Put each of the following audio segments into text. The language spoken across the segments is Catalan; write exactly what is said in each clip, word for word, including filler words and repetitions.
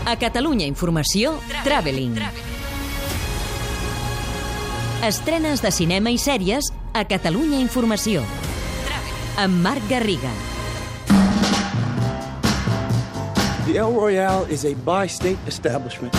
A Catalunya Informació, Traveling. Estrenes de cinema i sèries a Catalunya Informació. Amb Marc Garriga. The El Royale is a bi-state establishment.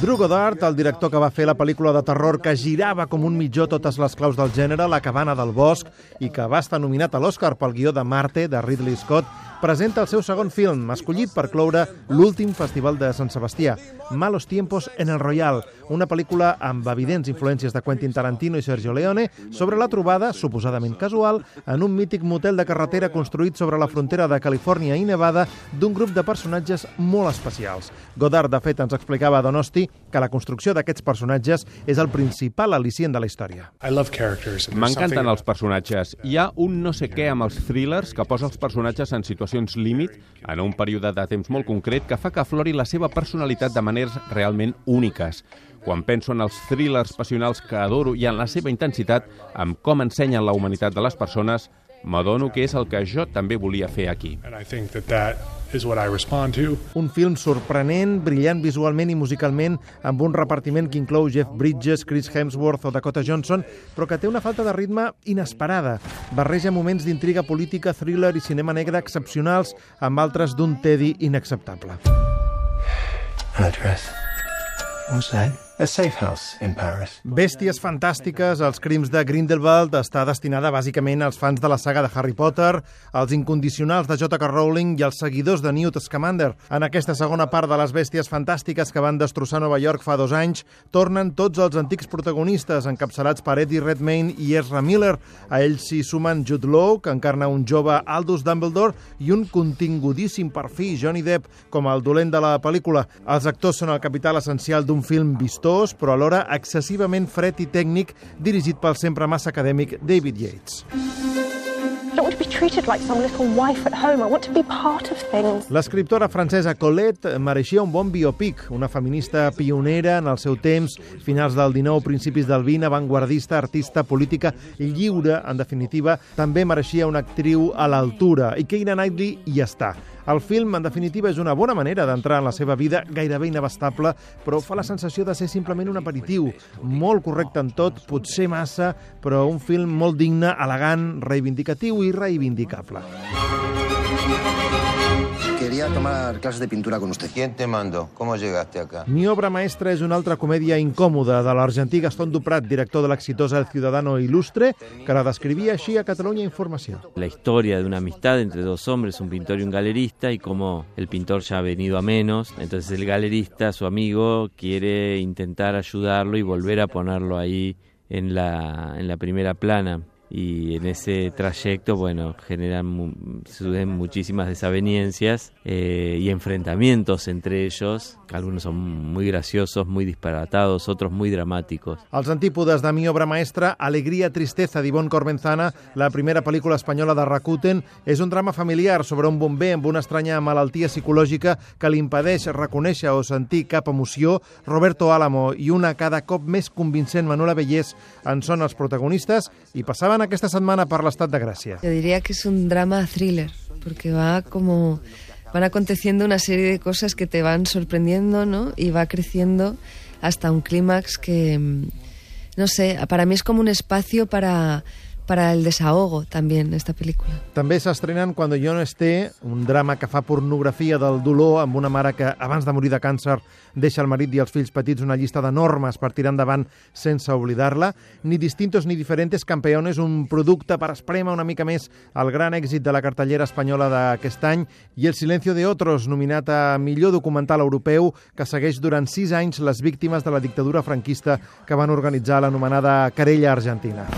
Drew Goddard, el director que va fer la pel·lícula de terror que girava com un mitjó totes les claus del gènere, La cabana del bosc, i que va estar nominat a l'Oscar pel guió de Marte, de Ridley Scott, presenta el seu segon film, escollit per cloure l'últim festival de Sant Sebastià, Malos tiempos en el Royal, una pel·lícula amb evidents influències de Quentin Tarantino i Sergio Leone sobre la trobada, suposadament casual, en un mític motel de carretera construït sobre la frontera de Califòrnia i Nevada d'un grup de personatges molt especials. Goddard, de fet, ens explicava a Donosti que la construcció d'aquests personatges és el principal al·licient de la història. M'encanten els personatges. Hi ha un no sé què amb els thrillers que posa els personatges en situacions límit en un període de temps molt concret que fa que aflori la seva personalitat de maneres realment úniques. Quan penso en els thrillers passionals que adoro i en la seva intensitat, amb com ensenyen la humanitat de les persones, m'adono que és el que jo també volia fer aquí. Un film sorprenent, brillant visualment i musicalment, amb un repartiment que inclou Jeff Bridges, Chris Hemsworth o Dakota Johnson, però que té una falta de ritme inesperada. Barreja moments d'intriga política, thriller i cinema negre excepcionals amb altres d'un tedi inacceptable. An address. What's that? A safe house in Paris. Bèsties fantàstiques, els crims de Grindelwald, està destinada bàsicament als fans de la saga de Harry Potter, als incondicionals de J K Rowling i als seguidors de Newt Scamander. En aquesta segona part de les bèsties fantàstiques que van destrossar Nova York fa dos anys, tornen tots els antics protagonistes, encapçalats per Eddie Redmayne i Ezra Miller. A ells s'hi sumen Jude Law, que encarna un jove Aldous Dumbledore, i un contingudíssim perfil Johnny Depp com el dolent de la pel·lícula. Els actors són el capital essencial d'un film vistós, però alhora excessivament fred i tècnic, dirigit pel sempre massa acadèmic David Yates. L'escriptora francesa Colette mereixia un bon biopic, una feminista pionera en el seu temps, finals del dinou, principis del vint, avantguardista, artista, política lliure, en definitiva, també mereixia una actriu a l'altura, i Keira Knightley hi està. El film, en definitiva, és una bona manera d'entrar en la seva vida gairebé inabastable, però fa la sensació de ser simplement un aperitiu. Molt correcte en tot, potser massa, però un film molt digne, elegant, reivindicatiu i reivindicable. Quería tomar clases de pintura con usted. ¿Quién te mandó? ¿Cómo llegaste acá? Mi obra maestra és una altra comèdia incòmoda de l'argentí Gastón Duprat, director de l'exitosa El Ciudadano Ilustre, que la descrivia així a Catalunya Informació. La historia de una amistad entre dos hombres, un pintor y un galerista, y como el pintor ya ha venido a menos, entonces el galerista, su amigo, quiere intentar ayudarlo y volver a ponerlo ahí en la, en la primera plana. Y en ese trayecto, bueno, generan mu suceden muchísimas desavenencias eh, y enfrentamientos entre ellos, que algunos son muy graciosos, muy disparatados, otros muy dramáticos. Els antípodes de Mi obra maestra, Alegria, tristeza, d'Ivonne Corbenzana, la primera pel·lícula espanyola de Rakuten, és un drama familiar sobre un bomber amb una estranya malaltia psicològica que li impedeix reconèixer o sentir cap emoció. Roberto Álamo i una cada cop més convincent Manuela Bellés en són els protagonistes i passaven esta semana por l'estat de Gràcia. Yo diría que es un drama thriller, porque va como van aconteciendo una serie de cosas que te van sorprendiendo, ¿no? Y va creciendo hasta un clímax que, no sé, para mí es como un espacio para para el desahogo también, esta pel·lícula. També s'estrenen Cuando yo no esté, un drama que fa pornografia del dolor amb una mare que, abans de morir de càncer, deixa el marit i els fills petits una llista de normes per tirar endavant sense oblidar-la. Ni distintos ni diferentes campeones, un producte per esprémer una mica més el gran èxit de la cartellera espanyola d'aquest any, i El silencio de otros, nominat a millor documental europeu, que segueix durant sis anys les víctimes de la dictadura franquista que van organitzar l'anomenada querella argentina.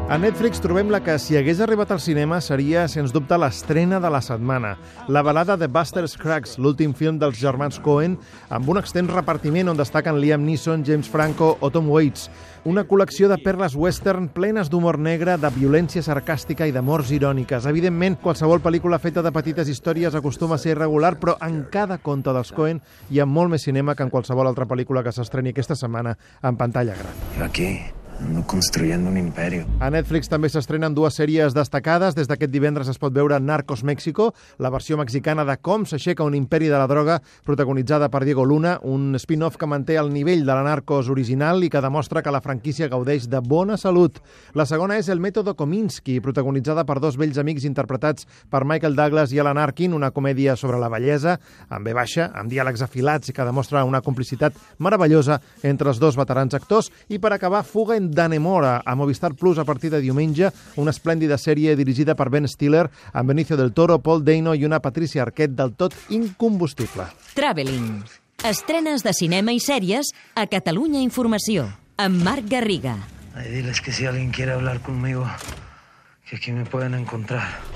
A Netflix trobem la que, si hagués arribat al cinema, seria, sens dubte, l'estrena de la setmana. La balada de Buster Scruggs, l'últim film dels germans Coen, amb un extens repartiment on destaquen Liam Neeson, James Franco o Tom Waits. Una col·lecció de perles western plenes d'humor negre, de violència sarcàstica i de morts iròniques. Evidentment, qualsevol pel·lícula feta de petites històries acostuma a ser irregular, però en cada conte dels Coen hi ha molt més cinema que en qualsevol altra pel·lícula que s'estreni aquesta setmana en pantalla gran. Aquí construyendo un imperio. A Netflix també s'estrenen dues sèries destacades. Des d'aquest divendres es pot veure Narcos México, la versió mexicana de com s'aixeca un imperi de la droga, protagonitzada per Diego Luna, un spin-off que manté el nivell de la Narcos original i que demostra que la franquícia gaudeix de bona salut. La segona és El Método Kominsky, protagonitzada per dos vells amics interpretats per Michael Douglas i Alan Arkin, una comèdia sobre la bellesa, amb ve baixa, amb diàlegs afilats i que demostra una complicitat meravellosa entre els dos veterans actors. I per acabar, Fuga en Dannemora, a Movistar Plus a partir de diumenge, una esplèndida sèrie dirigida per Ben Stiller, amb Benicio del Toro, Paul Dano i una Patricia Arquette del tot incombustible. Traveling. Estrenes de cinema i sèries a Catalunya Informació, amb Marc Garriga. Ay, diles que si alguien quiere hablar conmigo, que aquí me pueden encontrar.